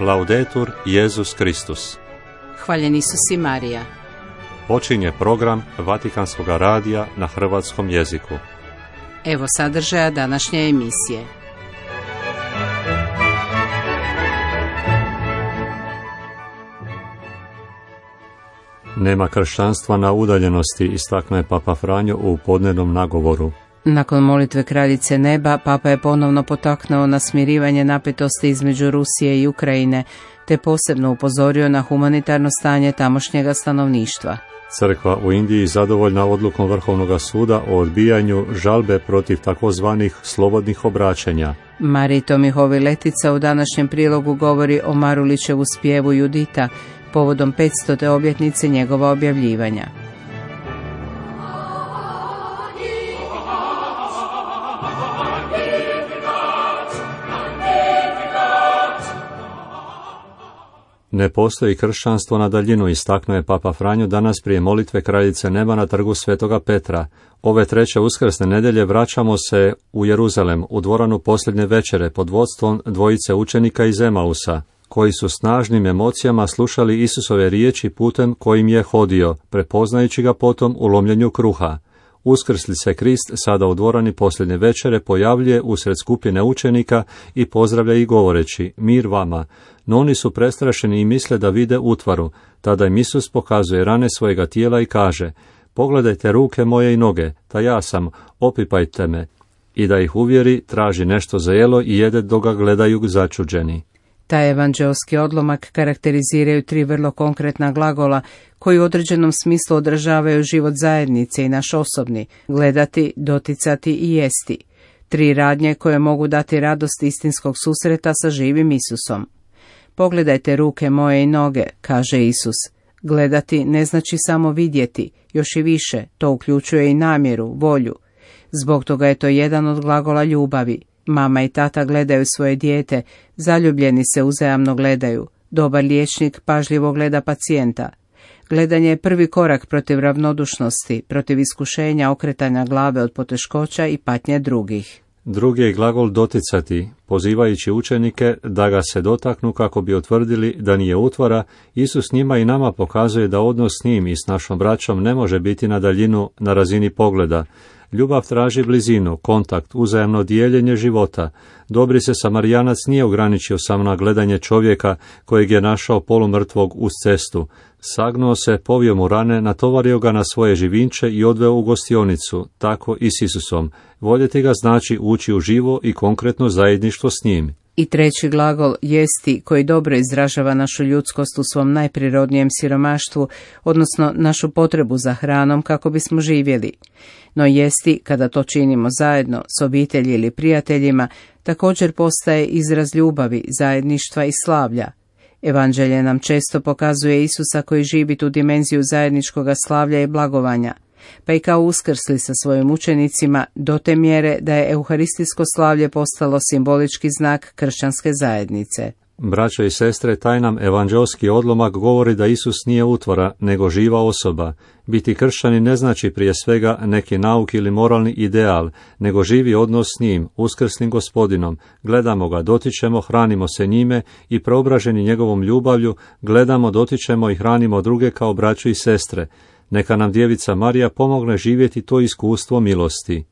Laudetur Jesus Kristus. Hvaljen Isus i Marija. Počinje program Vatikanskog radija na hrvatskom jeziku. Evo sadržaja današnje emisije. Nema kršćanstva na udaljenosti, istaknuo je Papa Franjo u podnevnom nagovoru. Nakon molitve Kraljice neba, Papa je ponovno potaknuo na smirivanje napetosti između Rusije i Ukrajine, te posebno upozorio na humanitarno stanje tamošnjega stanovništva. Crkva u Indiji zadovoljna odlukom Vrhovnog suda o odbijanju žalbe protiv takozvanih slobodnih obraćanja. Mariji Tomihovi Letica u današnjem prilogu govori o Marulićevu spjevu Judita, povodom 500. obljetnice njegova objavljivanja. Ne postoji kršćanstvo na daljinu, istaknuo je Papa Franjo danas prije molitve Kraljice neba na trgu Svetoga Petra. Ove treće uskrsne nedjelje vraćamo se u Jeruzalem, u dvoranu posljednje večere pod vodstvom dvojice učenika iz Emausa, koji su snažnim emocijama slušali Isusove riječi putem kojim je hodio, prepoznajući ga potom u lomljenju kruha. Uskrsli se Krist sada u dvorani posljednje večere pojavljuje usred skupine učenika i pozdravlja ih govoreći: mir vama. No oni su prestrašeni i misle da vide utvaru. Tada im Isus pokazuje rane svojega tijela i kaže: pogledajte ruke moje i noge, ta ja sam, opipajte me. I da ih uvjeri, traži nešto za jelo i jede dok ga gledaju začuđeni. Taj evanđeoski odlomak karakteriziraju tri vrlo konkretna glagola koji u određenom smislu odražavaju život zajednice i naš osobni: gledati, doticati i jesti. Tri radnje koje mogu dati radost istinskog susreta sa živim Isusom. Pogledajte ruke moje i noge, kaže Isus. Gledati ne znači samo vidjeti, još i više, to uključuje i namjeru, volju. Zbog toga je to jedan od glagola ljubavi. Mama i tata gledaju svoje dijete, zaljubljeni se uzajamno gledaju. Dobar liječnik pažljivo gleda pacijenta. Gledanje je prvi korak protiv ravnodušnosti, protiv iskušenja okretanja glave od poteškoća i patnje drugih. Drugi je glagol doticati, pozivajući učenike da ga se dotaknu kako bi utvrdili da nije utvara. Isus njima i nama pokazuje da odnos s njim i s našom braćom ne može biti na daljinu, na razini pogleda. Ljubav traži blizinu, kontakt, uzajamno dijeljenje života. Dobri se Samarijanac nije ograničio samo na gledanje čovjeka kojeg je našao polumrtvog uz cestu. Sagnuo se, povio mu rane, natovario ga na svoje živinče i odveo u gostionicu, tako i s Isusom. Voljeti ga znači ući u živo i konkretno zajedništvo s njim. I treći glagol, jesti, koji dobro izražava našu ljudskost u svom najprirodnijem siromaštvu, odnosno našu potrebu za hranom kako bismo živjeli. No jesti, kada to činimo zajedno, s obitelji ili prijateljima, također postaje izraz ljubavi, zajedništva i slavlja. Evanđelje nam često pokazuje Isusa koji živi tu dimenziju zajedničkoga slavlja i blagovanja, pa i kao uskrsli sa svojim učenicima do te mjere da je euharistijsko slavlje postalo simbolički znak kršćanske zajednice. Braćo i sestre, taj nam evanđeoski odlomak govori da Isus nije utvara, nego živa osoba. Biti kršćani ne znači prije svega neki nauk ili moralni ideal, nego živi odnos s njim, uskrsnim Gospodinom. Gledamo ga, dotičemo, hranimo se njime i preobraženi njegovom ljubavlju, gledamo, dotičemo i hranimo druge kao braću i sestre. Neka nam djevica Marija pomogne živjeti to iskustvo milosti.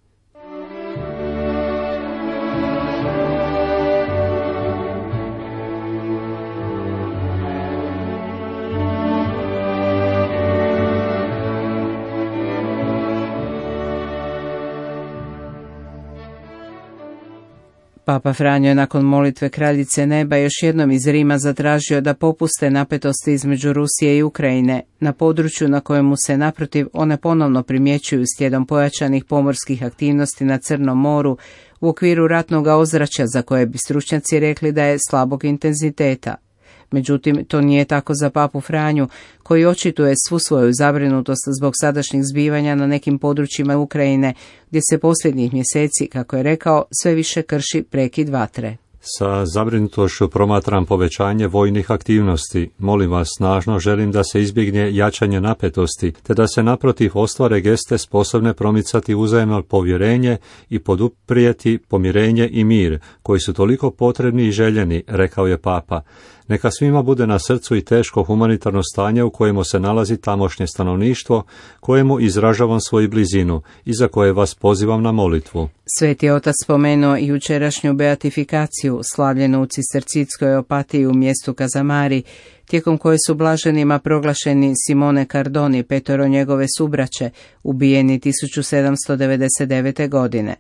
Papa Franjo je nakon molitve Kraljice neba još jednom iz Rima zatražio da popuste napetosti između Rusije i Ukrajine, na području na kojemu se naprotiv one ponovno primjećuju slijedom pojačanih pomorskih aktivnosti na Crnom moru u okviru ratnog ozračja za koje bi stručnjaci rekli da je slabog intenziteta. Međutim, to nije tako za Papu Franju, koji očituje svu svoju zabrinutost zbog sadašnjih zbivanja na nekim područjima Ukrajine, gdje se posljednjih mjeseci, kako je rekao, sve više krši prekid vatre. Sa zabrinutošću promatram povećanje vojnih aktivnosti. Molim vas, snažno želim da se izbjegne jačanje napetosti, te da se naprotiv ostvare geste sposobne promicati uzajamno povjerenje i poduprijeti pomirenje i mir, koji su toliko potrebni i željeni, rekao je Papa. Neka svima bude na srcu i teško humanitarno stanje u kojemu se nalazi tamošnje stanovništvo, kojemu izražavam svoju blizinu i za koje vas pozivam na molitvu. Sveti otac spomenuo i jučerašnju beatifikaciju, slavljenu u Cistercijskoj opatiji u mjestu Kazamari, tijekom koje su blaženima proglašeni Simone Cardoni, 5 njegove subraće, ubijeni 1799. godine.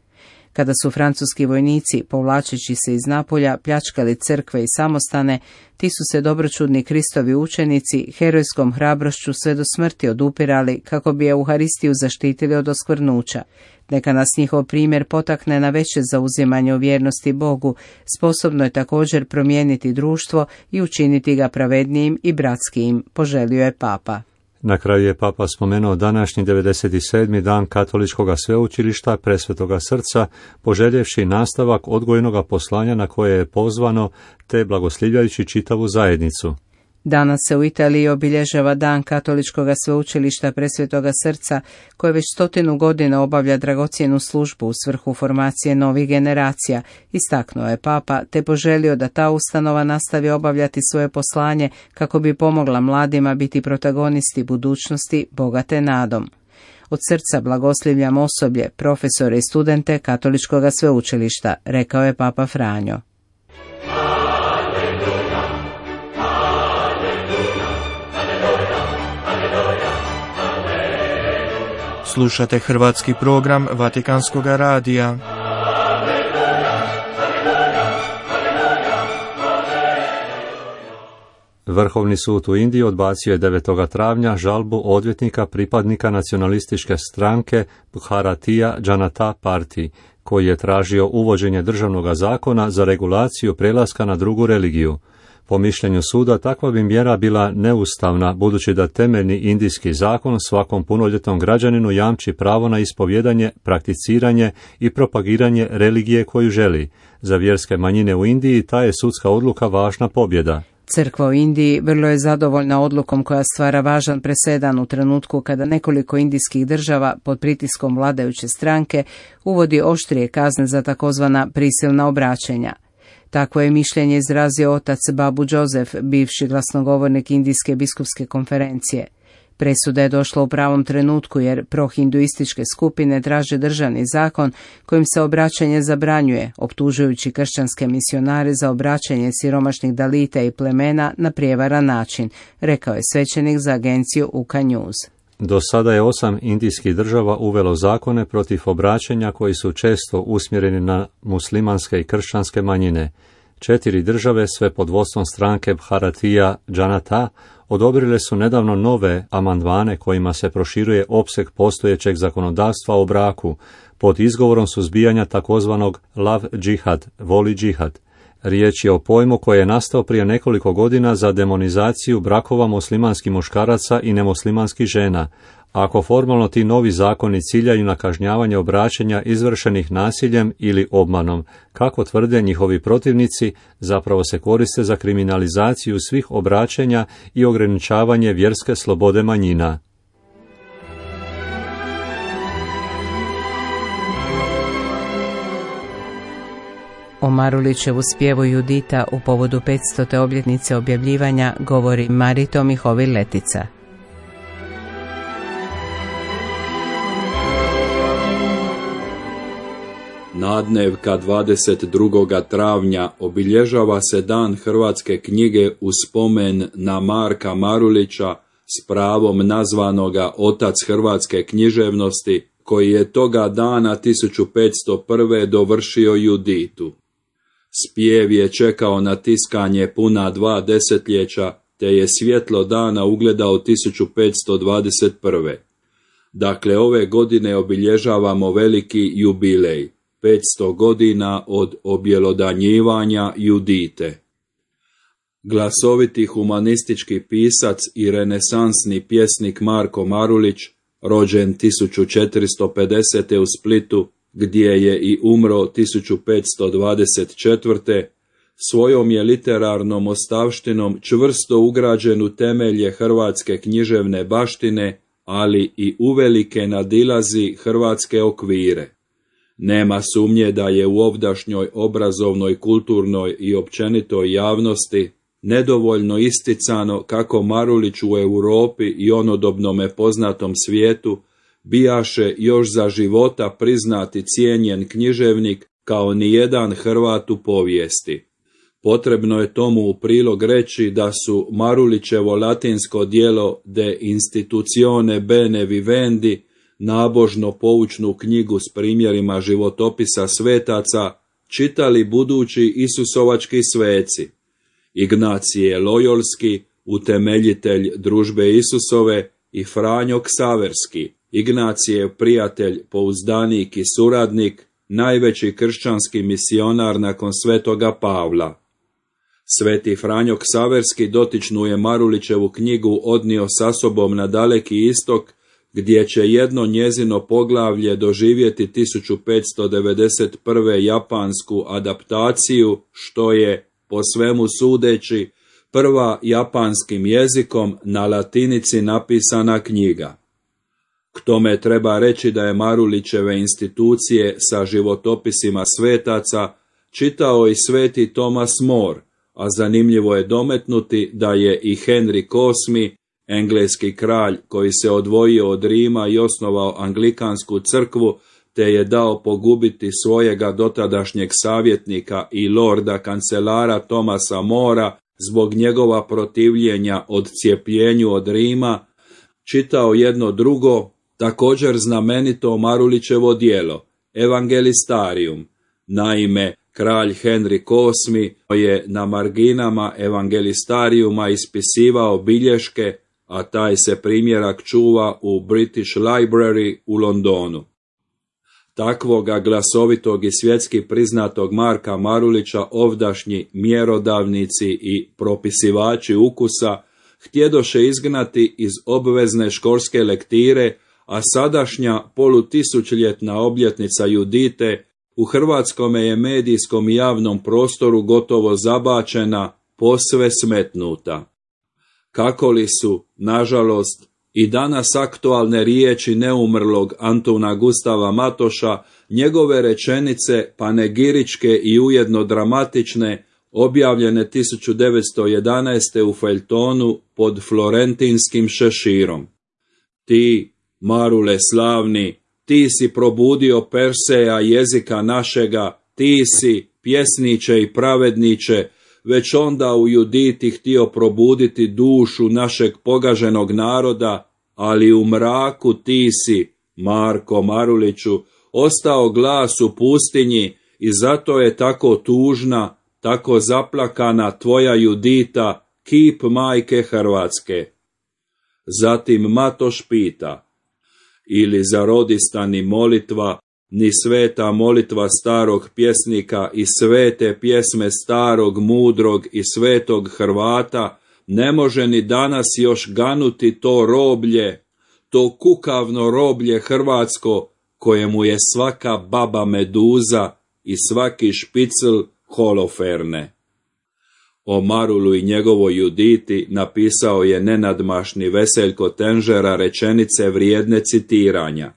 Kada su francuski vojnici, povlačeći se iz Napolja, pljačkali crkve i samostane, ti su se dobročudni Kristovi učenici herojskom hrabrošću sve do smrti odupirali kako bi Euharistiju zaštitili od oskvrnuća. Neka nas njihov primjer potakne na veće zauzimanje u vjernosti Bogu, sposobno je također promijeniti društvo i učiniti ga pravednijim i bratskijim, poželio je Papa. Na kraju je Papa spomenuo današnji 97. dan Katoličkog sveučilišta Presvetoga srca, poželjevši nastavak odgojnoga poslanja na koje je pozvano, te blagoslivljajući čitavu zajednicu. Danas se u Italiji obilježava dan Katoličkog sveučilišta Presvetoga srca, koje već 100 godina obavlja dragocjenu službu u svrhu formacije novih generacija, istaknuo je Papa, te poželio da ta ustanova nastavi obavljati svoje poslanje kako bi pomogla mladima biti protagonisti budućnosti bogate nadom. Od srca blagoslivljam osoblje, profesore i studente Katoličkog sveučilišta, rekao je Papa Franjo. Slušate hrvatski program Vatikanskog radija. Vrhovni sud u Indiji odbacio je 9. travnja žalbu odvjetnika pripadnika nacionalističke stranke Bharatiya Janata Party, koji je tražio uvođenje državnog zakona za regulaciju prelaska na drugu religiju. Po mišljenju suda, takva bi mjera bila neustavna, budući da temeljni indijski zakon svakom punoljetnom građaninu jamči pravo na ispovjedanje, prakticiranje i propagiranje religije koju želi. Za vjerske manjine u Indiji ta je sudska odluka važna pobjeda. Crkva u Indiji vrlo je zadovoljna odlukom koja stvara važan presedan u trenutku kada nekoliko indijskih država pod pritiskom vladajuće stranke uvodi oštrije kazne za takozvana prisilna obraćanja. Takvo je mišljenje izrazio otac Babu Joseph, bivši glasnogovornik Indijske biskupske konferencije. Presuda je došla u pravom trenutku jer prohinduističke skupine traže državni zakon kojim se obraćanje zabranjuje, optužujući kršćanske misionare za obraćanje siromašnih dalita i plemena na prijevaran način, rekao je svećenik za agenciju UK News. Do sada je 8 indijskih država uvelo zakone protiv obraćanja koji su često usmjereni na muslimanske i kršćanske manjine. 4 države, sve pod vodstvom stranke Bharatiya Janata, odobrile su nedavno nove amandmane kojima se proširuje opseg postojećeg zakonodavstva o braku, pod izgovorom suzbijanja takozvanog love džihad, voli džihad. Riječ je o pojmu koji je nastao prije nekoliko godina za demonizaciju brakova muslimanskih muškaraca i nemuslimanskih žena. Ako formalno ti novi zakoni ciljaju na kažnjavanje obraćanja izvršenih nasiljem ili obmanom, kako tvrde njihovi protivnici, zapravo se koriste za kriminalizaciju svih obraćanja i ograničavanje vjerske slobode manjina. O Marulićevu spjevu Judita u povodu 500. obljetnice objavljivanja govori Marito Mihovil-Letica. Nadnevka 22. travnja obilježava se dan hrvatske knjige u spomen na Marka Marulića, s pravom nazvanoga otac hrvatske književnosti, koji je toga dana 1501. dovršio Juditu. Spjev je čekao na tiskanje puna 2 desetljeća, te je svjetlo dana ugledao 1521. Dakle, ove godine obilježavamo veliki jubilej, 500 godina od objelodanjivanja Judite. Glasoviti humanistički pisac i renesansni pjesnik Marko Marulić, rođen 1450. u Splitu, gdje je i umro 1524. svojom je literarnom ostavštinom čvrsto ugrađen u temelje hrvatske književne baštine, ali i uvelike nadilazi hrvatske okvire. Nema sumnje da je u ovdašnjoj obrazovnoj, kulturnoj i općenitoj javnosti nedovoljno isticano kako Marulić u Europi i onodobnome poznatom svijetu bijaše još za života priznati cijenjen književnik kao nijedan Hrvat u povijesti. Potrebno je tomu u prilog reći da su Marulićevo latinsko djelo De institutione bene vivendi, nabožno poučnu knjigu s primjerima životopisa svetaca, čitali budući Isusovački sveci, Ignacije Lojolski, utemeljitelj družbe Isusove, i Franjo Ksaverski, Ignacijev prijatelj, pouzdanik i suradnik, najveći kršćanski misionar nakon svetoga Pavla. Sveti Franjo Ksaverski dotičnu je Marulićevu knjigu odnio sa sobom na Daleki istok, gdje će jedno njezino poglavlje doživjeti 1591. japansku adaptaciju, što je, po svemu sudeći, prva japanskim jezikom na latinici napisana knjiga. K tome treba reći da je Marulićeve institucije sa životopisima svetaca čitao i sveti Thomas More, a zanimljivo je dometnuti da je i Henry VIII, engleski kralj koji se odvojio od Rima i osnovao anglikansku crkvu, te je dao pogubiti svojega dotadašnjeg savjetnika i lorda kancelara Thomasa Mora zbog njegova protivljenja odcijepljenju od Rima, čitao jedno drugo, također znamenito Marulićevo djelo, Evangelistarium. Naime, kralj Henry VIII je na marginama Evangelistariuma ispisivao bilješke, a taj se primjerak čuva u British Library u Londonu. Takvoga glasovitog i svjetski priznatog Marka Marulića ovdašnji mjerodavnici i propisivači ukusa htjedoše izgnati iz obvezne školske lektire, a sadašnja polutisućljetna obljetnica Judite u hrvatskome je medijskom i javnom prostoru gotovo zabačena, posve smetnuta. Kako li su, nažalost, i danas aktualne riječi neumrlog Antuna Gustava Matoša, njegove rečenice panegiričke i ujedno dramatične, objavljene 1911. u feljtonu pod florentinskim šeširom. Ti, Marule slavni, ti si probudio Perseja jezika našega, ti si, pjesniče i pravedniče, već onda u Juditi htio probuditi dušu našeg pogaženog naroda, ali u mraku ti si, Marko Maruliću, ostao glas u pustinji i zato je tako tužna, tako zaplakana tvoja Judita, kip majke Hrvatske. Zatim Matoš pita, ili za rodista ni molitva, ni sveta molitva starog pjesnika i svete pjesme starog, mudrog i svetog Hrvata ne može ni danas još ganuti to roblje, to kukavno roblje hrvatsko, kojemu je svaka baba meduza i svaki špicl holoferne. O Marulu i njegovoj Juditi napisao je nenadmašni Veseljko Tenžera rečenice vrijedne citiranja.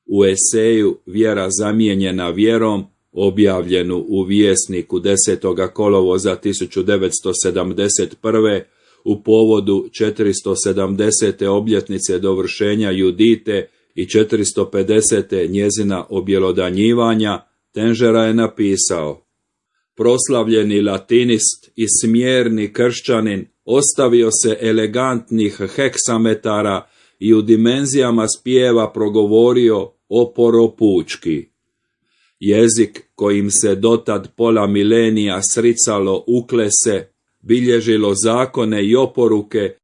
U eseju Vjera zamijenjena vjerom, objavljenu u Vjesniku 10. kolovoza 1971. u povodu 470. obljetnice dovršenja Judite i 450. njezina objelodanjivanja, Tenžera je napisao: proslavljeni latinist i smjerni kršćanin ostavio se elegantnih heksametara i u dimenzijama spjeva progovorio oporopučki. Jezik kojim se dotad pola milenija sricalo uklese, bilježilo zakone i oporuke,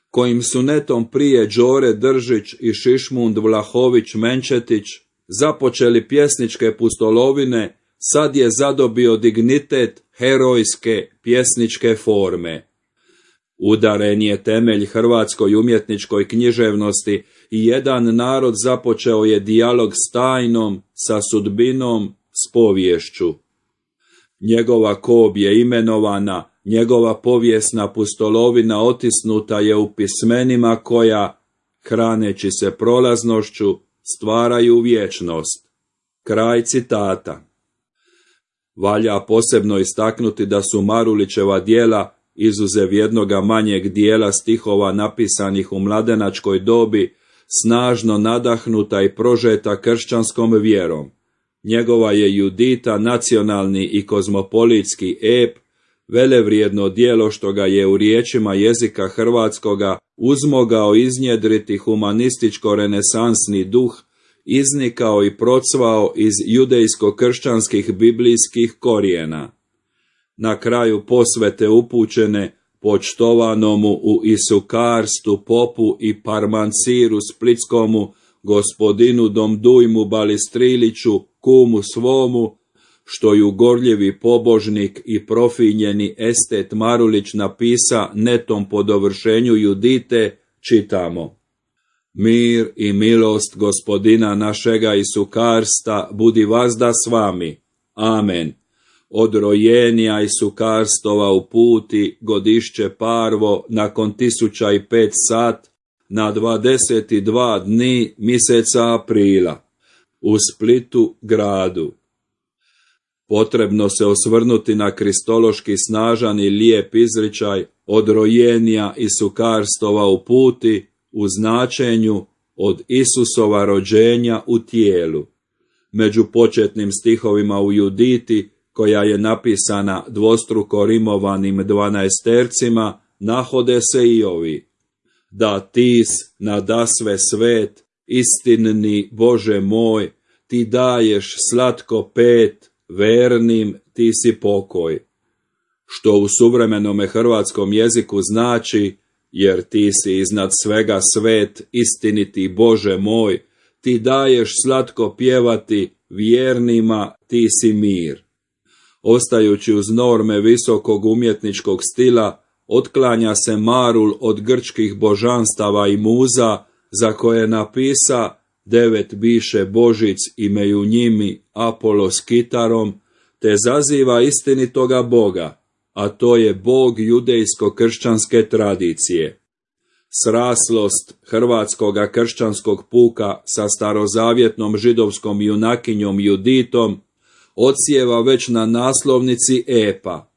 kojim su netom prije Đore Držić i Šišmund Vlahović Menčetić započeli pjesničke pustolovine, sad je zadobio dignitet herojske pjesničke forme. Udaren je temelj hrvatskoj umjetničkoj književnosti i jedan narod započeo je dijalog s tajnom, sa sudbinom, s poviješću. Njegova kob je imenovana, njegova povijesna pustolovina otisnuta je u pismenima koja, hraneći se prolaznošću, stvaraju vječnost. Kraj citata. Valja posebno istaknuti da su Marulićeva djela izuzev jednoga manjeg dijela stihova napisanih u mladenačkoj dobi, snažno nadahnuta i prožeta kršćanskom vjerom. Njegova je Judita nacionalni i kozmopolitski ep, velevrijedno djelo što ga je u riječima jezika hrvatskoga uzmogao iznjedriti humanističko-renesansni duh, iznikao i procvao iz judejsko-kršćanskih biblijskih korijena. Na kraju posvete upućene počtovanomu u Isukarstu popu i parmanciru splitskomu gospodinu Domdujmu Balistriliću, kumu svomu, što ju gorljivi pobožnik i profinjeni estet Marulić napisa netom po dovršenju Judite, čitamo: Mir i milost gospodina našega Isukarsta budi vazda s vami. Amen. Od rojenja Isukarstova u puti godišće parvo nakon 1005 sat na 22 dni mjeseca aprila u Splitu gradu. Potrebno se osvrnuti na kristološki snažan i lijep izričaj od rojenja Isukarstova u puti u značenju od Isusova rođenja u tijelu. Među početnim stihovima u Juditi, koja je napisana dvostruko rimovanim 12-tercima, nahode se i ovi: Da tis nadasve svet, istinni Bože moj, ti daješ slatko pet, vernim ti si pokoj. Što u suvremenome hrvatskom jeziku znači: jer ti si iznad svega svet, istiniti Bože moj, ti daješ slatko pjevati, vjernima ti si mir. Ostajući uz norme visokog umjetničkog stila, otklanja se Marul od grčkih božanstava i muza, za koje napisa 9 biše božic i meju njimi Apolo s kitarom, te zaziva istinitoga Boga, a to je Bog judejsko-kršćanske tradicije. Sraslost hrvatskoga kršćanskog puka sa starozavjetnom židovskom junakinjom Juditom odsjeva već na naslovnici epa.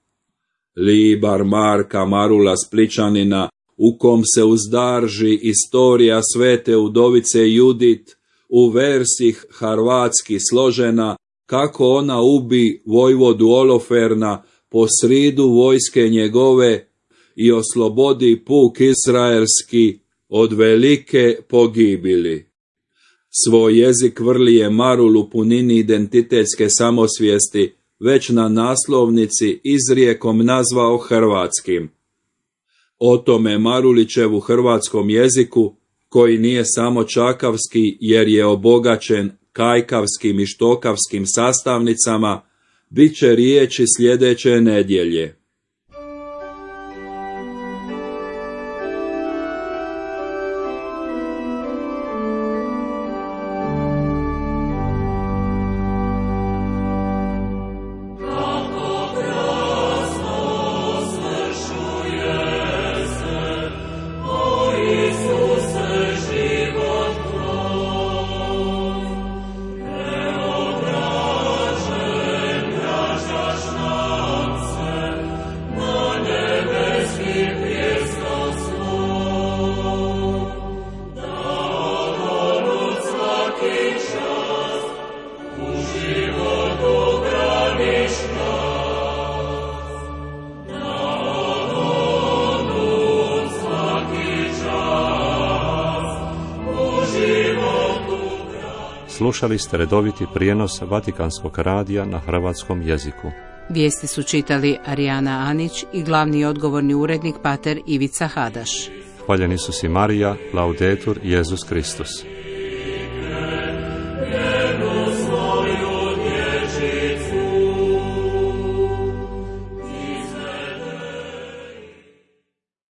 Libar Marka Marula Splićanina, u kom se uzdarži istorija svete udovice Judit, u versih harvatski složena, kako ona ubi vojvodu Oloferna po sridu vojske njegove i oslobodi puk izraelski od velike pogibili. Svoj jezik vrli je Marul u punini identitetske samosvijesti već na naslovnici izrijekom nazvao hrvatskim. O tome Marulićev u hrvatskom jeziku, koji nije samo čakavski jer je obogaćen kajkavskim i štokavskim sastavnicama, bit će riječi sljedeće nedjelje. Slušali ste redoviti prijenos Vatikanskog radija na hrvatskom jeziku. Vijesti su čitali Arijana Anić i glavni odgovorni urednik pater Ivica Hadaš. Hvaljeni su si Marija, Laudetur, Jezus Kristus. Svoju